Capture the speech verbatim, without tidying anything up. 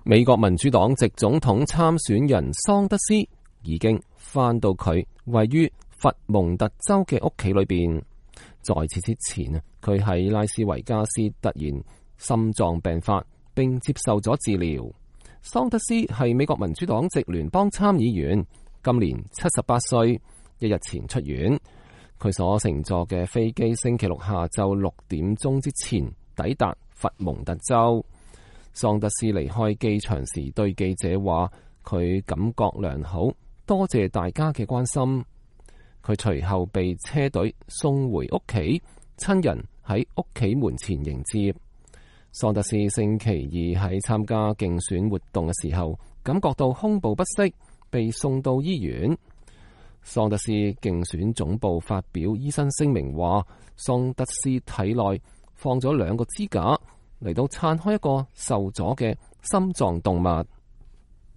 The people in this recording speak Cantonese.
美國民主黨籍總統參選人桑德斯已經返到佢位於佛蒙特州嘅屋企裏邊。在此之前啊，佢喺拉斯維加斯突然心臟病發，並接受咗治療。桑德斯係美國民主黨籍聯邦參議員，今年七十八歲，一日前出院。佢所乘坐嘅飛機星期六下晝六點鐘之前抵達佛蒙特州。桑德斯離開機場時對記者話：佢感覺良好，多謝大家嘅關心。佢隨後被車隊送回屋企，親人喺屋企門前迎接。桑德斯星期二喺參加競選活動嘅時候，感覺到胸部不適，被送到醫院。桑德斯競選總部發表醫生聲明話，桑德斯體內放咗兩個支架嚟到撐開一個受阻嘅心臟動脈。